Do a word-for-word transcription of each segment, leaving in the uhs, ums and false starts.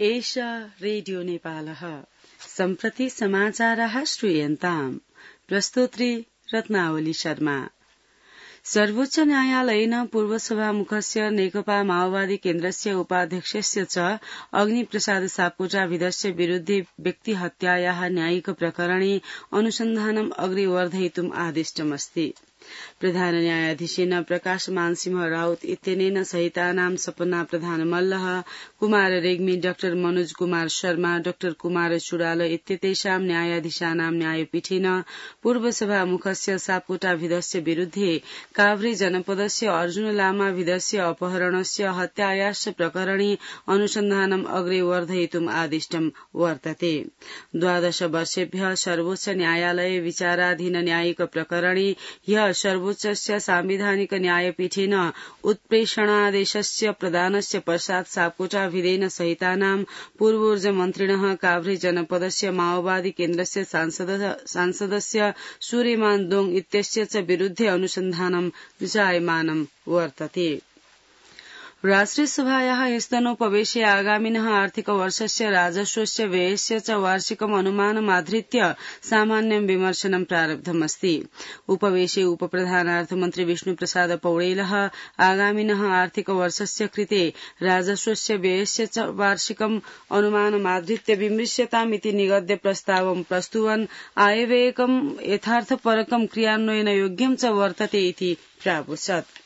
एषा रेडियो नेपालः सम्प्रति समाचाराः श्रूयन्ताम्। प्रस्तोत्री रत्नावली शर्मा। सर्वोच्च न्यायालयेन पूर्वसभामुखस्य नेकपा माओवादी केन्द्रस्य उपाध्यक्षस्य च अग्निप्रसाद सापकोटाभिधस्य विरुद्धे व्यक्तिहत्यायाः न्यायिक प्रकरणे अनुसन्धानम् अग्रे वर्धयितुम् आदिष्टमस्ति। प्रधान न्यायाधीशेन प्रकाशमान सिंह राउत इत्यनेन सहितानां सपना प्रधान मल्लः, कुमार रेग्मी, डाक्टर मनोज कुमार शर्मा, डाक्टर कुमार चुडाल इत्यतेषां न्यायाधीशानां न्यायपीठेन पूर्वसभामुखस्य सापकोटाभिधस्य विरुद्धे काभ्रे जनपदस्य अर्जुन लामाभिधस्य अपहरणस्य हत्यायाश्च प्रकरणे अनुसन्धानम् अग्रे वर्धयितुम् आदिष्टम् वर्तते। द्वादश वर्षेभ्यः सर्वोच्च न्यायालये विचाराधीन न्यायिक प्रकरणे ह्यः सर्वोच्चस्य सांविधानिक न्यायपीठेन उत्प्रेषणादेशस्य प्रदानस्य पश्चात् सापकोटाभिधेन सहितानां पूर्वोर्जमन्त्रिणः काभ्रे जनपदस्य माओवादी केन्द्रस्य सांसदस्य सूर्यमान दोङ इत्यस्य च विरुद्धे अनुसन्धानं जायमानं वर्तते। राष्ट्रियसभायाः स्तनोपवेशे आगामिनः आर्थिकवर्षस्य राजस्वस्य व्ययस्य च वार्षिकम् अनुमानमाधृत्य सामान्यं विमर्शनं प्रारब्धमस्ति। उपवेशे उपप्रधानार्थमन्त्री विष्णुप्रसाद पौडेलः आगामिनः आर्थिकवर्षस्य कृते राजस्वस्य व्ययस्य च वार्षिकम् अनुमानमाधृत्य विमृश्यतामिति निगद्य प्रस्तावं प्रस्तुवन् आयव्ययकं यथार्थपरकं क्रियान्वयनयोग्यं च वर्तते इति प्रावोचत्।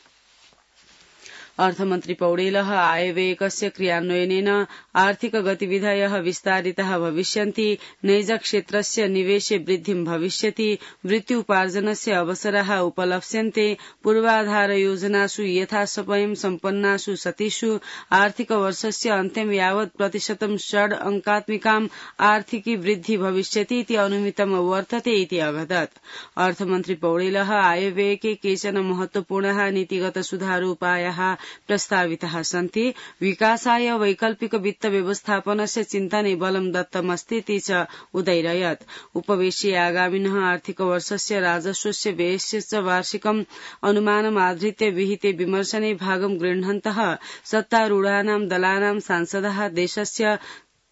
अर्थमन्त्री पौडेलः आयव्ययकस्य क्रियान्वयनेन आर्थिक गतिविधयः विस्तारिताः भविष्यन्ति, नैजक्षेत्रस्य निवेशे वृद्धिं भविष्यति, वृत्त्युपार्जनस्य अवसराः उपलप्स्यन्ते, पूर्वाधारयोजनासु यथासमयं सम्पन्नासु सतिषु आर्थिकवर्षस्य अन्त्यं यावत् प्रतिशतं षड् अंकात्मिकाम् आर्थिकी वृद्धि भविष्यति इति अनुमितं वर्तते इति अवदत्। अर्थमन्त्री पौडेलः आयव्ययके केचन महत्वपूर्णाः नीतिगत सुधारोपायाः प्रस्ताविताः सन्ति। विकासाय वैकल्पिक वित्त व्यवस्थापनस्य चिन्तने बलं दत्तमस्ति इति च उदैरयत्। उपवेशे आगामिनः आर्थिकवर्षस्य राजस्वस्य व्ययस्य च वार्षिकम् अनुमानमाधृत्य विहिते विमर्शने भागं गृह्णन्तः सत्तारूढानां दलानां सांसदाः देशस्य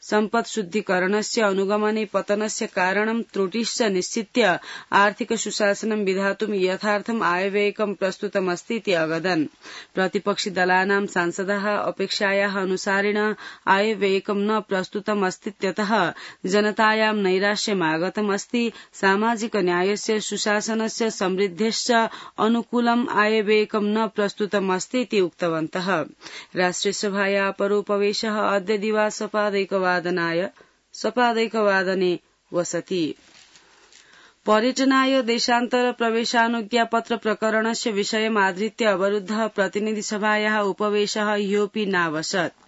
सम्पत्शुद्धीकरणस्य अनुगमने पतनस्य कारणं त्रुटिश्च निश्चित्य आर्थिक सुशासनं विधातुं यथार्थम् आयव्ययकं प्रस्तुतमस्ति इति अवदन्। प्रतिपक्षि दलानां सांसदाः अपेक्षायाः अनुसारेण आयव्ययकं न प्रस्तुतमस्तीत्यतः जनतायां नैराश्यमागतमस्ति। सामाजिक न्यायस्य सुशासनस्य समृद्धेश्च अनुकूलम् आयव्ययकं न प्रस्तुतमस्ति इति उक्तवन्तः। राष्ट्रियसभाया परोपवेशः अद्य दिवासपादैकवादनाय सपादैकवादने वसति। पर्यटनाय देशान्तर प्रवेशानुज्ञापत्र प्रकरणस्य विषयमाधृत्य अवरुद्धः प्रतिनिधिसभायाः उपवेशः ह्योऽपि नावसत्।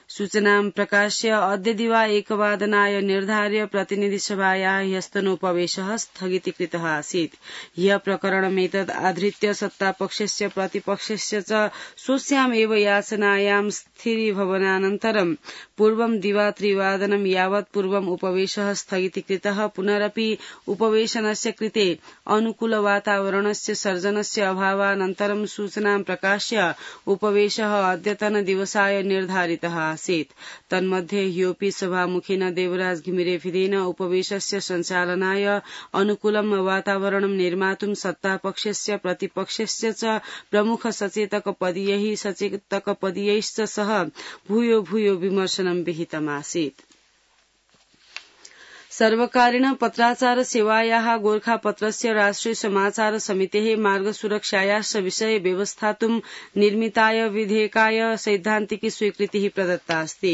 सूचनां प्रकाश्य अद्य दिवा एकवादनाय निर्धार्य प्रतिनिधिसभायाः ह्यस्तनोपवेशः स्थगितीकृतः आसीत्। ह्यः प्रकरणमेतद् आधृत्य सत्तापक्षस्य प्रतिपक्षस्य च स्वस्याम् एव याचनायां स्थिरीभवनानन्तरं पूर्वं दिवा त्रिवादनं यावत् पूर्वम् उपवेशः स्थगितीकृतः। पुनरपि उपवेशनस्य कृते अनुकूलवातावरणस्य सर्जनस्य अभावानन्तरं सूचनां प्रकाश्य उपवेशः अद्यतन दिवसाय निर्धारितः आसीत्। तन्मध्ये ह्योऽपि सभामुखेन देवराज घिमिरेभिदेन उपवेशस्य सञ्चालनाय अनुकूलं वातावरणं निर्मातुं सत्तापक्षस्य प्रतिपक्षस्य च प्रमुख सचेतकपदीयैः सचेतकपदीयैश्च सह भूयो भूयो विमर्शनं विहितमासीत्। सर्वकारेण पत्राचार सेवायाः गोरखापत्रस्य राष्ट्रिय समाचार समितेः मार्गसुरक्षायाश्च विषये व्यवस्थातुं निर्मिताय विधेयकाय सैद्धान्तिकी स्वीकृतिः प्रदत्ता अस्ति।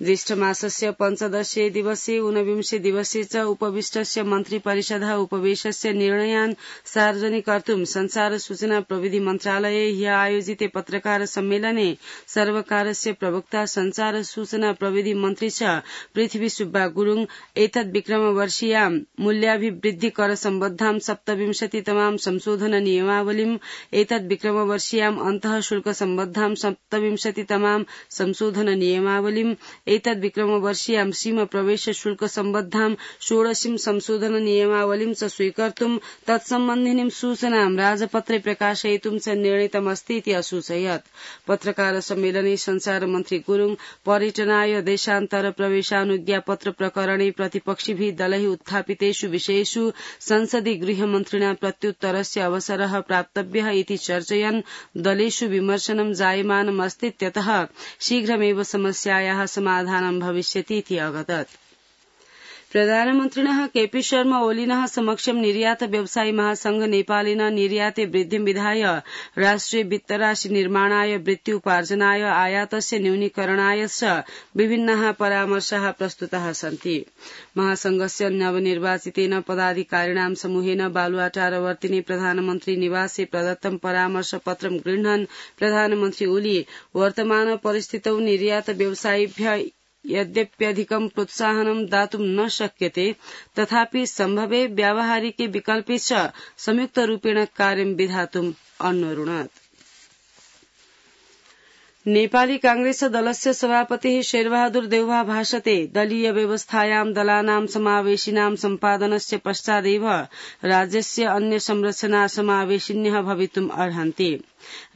ज्येष्ठमासस्य पञ्चदशे दिवसे ऊनविंशे दिवसे च उपविष्टस्य मन्त्रिपरिषदः उपवेशस्य निर्णयान् सार्वजनिकर्तुं संचार सूचना प्रविधि मन्त्रालये ह्यः आयोजिते पत्रकार सम्मेलने सर्वकारस्य प्रवक्ता संचार सूचना प्रविधि मन्त्री च पृथ्वी सुब्बा गुरुङ एतद् विक्रमवर्षीयां मूल्याभिवृद्धिकर सम्बद्धां सप्तविंशतितमां संशोधन नियमावलीम् एतद् विक्रमवर्षीयाम् अन्तः शुल्क सम्बद्धां सप्तविंशतितमां संशोधन नियमावलीम् एतद् विक्रमवर्षीयां सीम प्रवेश शुल्क सम्बद्धां षोडशीं संशोधन नियमावलीं च स्वीकर्तुं तत्सम्बन्धिनीं सूचनां राजपत्रे प्रकाशयितुं च निर्णीतमस्ति इति असूचयत्। पत्रकार सम्मेलने संचार मन्त्री गुरुङ पर्यटनाय देशान्तर प्रवेशानुज्ञापत्र प्रकरणे प्रतिपक्षिभिः दलैः उत्थापितेषु विषयेषु संसदि गृहमन्त्रिणा प्रत्युत्तरस्य अवसरः प्राप्तव्यः इति चर्चयन् दलेषु विमर्शनं जायमानमस्तीत्यतः शीघ्रमेव समस्यायाः समाधानं भविष्यति इति अवदत्। प्रधानमन्त्रिणः केपी शर्मा ओलीनः समक्षं निर्यात व्यवसायी महासंघ नेपालेन निर्याते वृद्धिं विधाय राष्ट्रिय वित्तराशि निर्माणाय वृत्त्युपार्जनाय आयातस्य न्यूनीकरणाय च विभिन्नाः परामर्शाः प्रस्तुताः सन्ति। महासंघस्य नवनिर्वाचितेन पदाधिकारिणां समूहेन बालुवाटारवर्तिनि प्रधानमन्त्री निवासे प्रदत्तं परामर्शपत्रं गृह्णन् प्रधानमन्त्री ओली वर्तमान परिस्थितौ निर्यात व्यवसायिभ्यः यद्यप्यधिकं प्रोत्साहनं दातुं न शक्यते तथापि सम्भवे व्यावहारिके विकल्पे च संयुक्तरूपेण कार्यं विधातुम् अन्वरुणत्। नेपाली कांग्रेस दलस्य सभापतिः शेरबहादुर देउवा भाषते दलीय व्यवस्थायां दलानां समावेशिनां सम्पादनस्य पश्चादेव राज्यस्य अन्य संरचना समावेशिन्यः भवितुम् अर्हन्ति।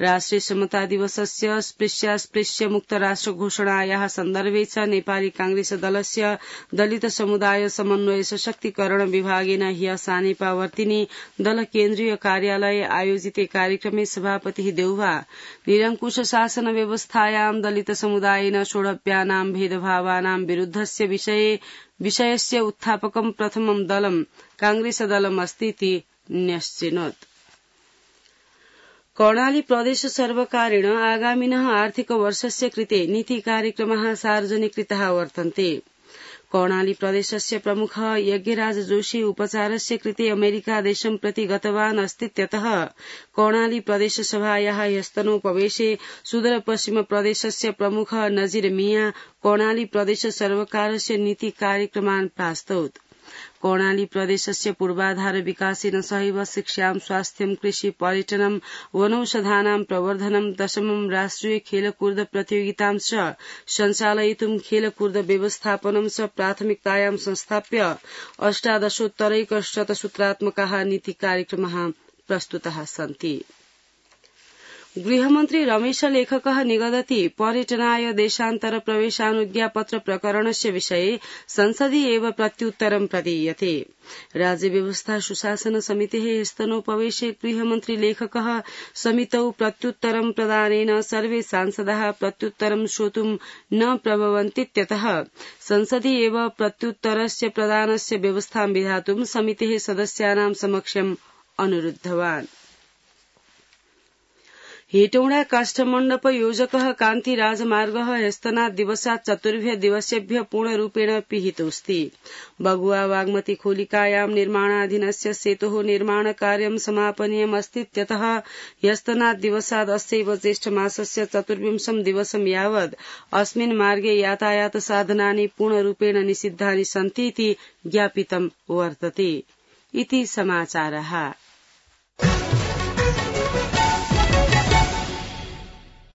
राष्ट्रिय समता दिवसस्य स्पृश्यास्पृश्य मुक्त राष्ट्र घोषणायाः सन्दर्भे च नेपाली कांग्रेस दलस्य दलित समुदाय समन्वय सशक्तिकरण विभागेन ह्य सानेपावर्तिनि दल केन्द्रीय कार्यालये आयोजिते कार्यक्रमे सभापतिः देउवा निरंकुश शासन व्यवस्थायां दलित समुदायेन सोढव्यानां भेदभावानां विरुद्धस्य विषये विषयस्य उत्थापकं प्रथमं दलं कांग्रेस दलमस्तीति न्यश्चिनोत्। कर्णाली प्रदेश सर्वकारेण आगामिनः आर्थिक वर्षस्य कृते नीति कार्यक्रमाः सार्वजनिकृताः वर्तन्ते। कर्णाली प्रदेशस्य प्रमुखः यज्ञराज जोशी उपचारस्य कृते अमेरिका देशं प्रति गतवान् अस्तीत्यतः कर्णाली प्रदेश सभायाः ह्यस्तनोपवेशे सुदूर पश्चिम प्रदेशस्य प्रमुखः नजीर मिया कर्णाली प्रदेश सर्वकारस्य नीति कार्यक्रमान् प्रास्तौत्। कर्णाली प्रदेशस्य पूर्वाधार विकासेन सहैव शिक्षां स्वास्थ्यं कृषि पर्यटनं वनौषधानां प्रवर्धनं दशमं राष्ट्रिय खेलकूद प्रतियोगितां च सञ्चालयितुं खेलकूद व्यवस्थापनं च प्राथमिकतायां संस्थाप्य अष्टादशोत्तरैकशतसूत्रात्मकाः नीति कार्यक्रमाः प्रस्तुताः सन्ति। गृहमन्त्री रमेश लेखकः निगदति पर्यटनाय देशान्तर प्रवेशानुज्ञापत्र प्रकरणस्य विषये संसदि एव प्रत्युत्तरं प्रदीयते। राज्य व्यवस्था सुशासन समितेः स्तनोपवेशे गृहमन्त्री लेखकः समितौ प्रत्युत्तरं प्रदानेन सर्वे सांसदाः प्रत्युत्तरं श्रोतुं न प्रभवन्तीत्यतः संसदि एव प्रत्युत्तरस्य प्रदानस्य व्यवस्थां विधातुं समितेः सदस्यानां समक्षम् अनुरुद्धवान्। हेटौडा काष्ठमण्डप योजकः कान्ति राजमार्गः ह्यस्तनात् दिवसात् चतुर्भ्यः दिवसेभ्यः पूर्णरूपेण पिहितोऽस्ति। बगुआ बागमती खोलिकायां निर्माणाधीनस्य सेतोः निर्माणकार्यं समापनीयमस्तीत्यतः ह्यस्तनात् दिवसात् अस्यैव ज्येष्ठमासस्य चतुर्विंशं दिवसं यावत् अस्मिन् मार्गे यातायात साधनानि पूर्णरूपेण निषिद्धानि सन्ति इति ज्ञापितं वर्तते। इति समाचारः।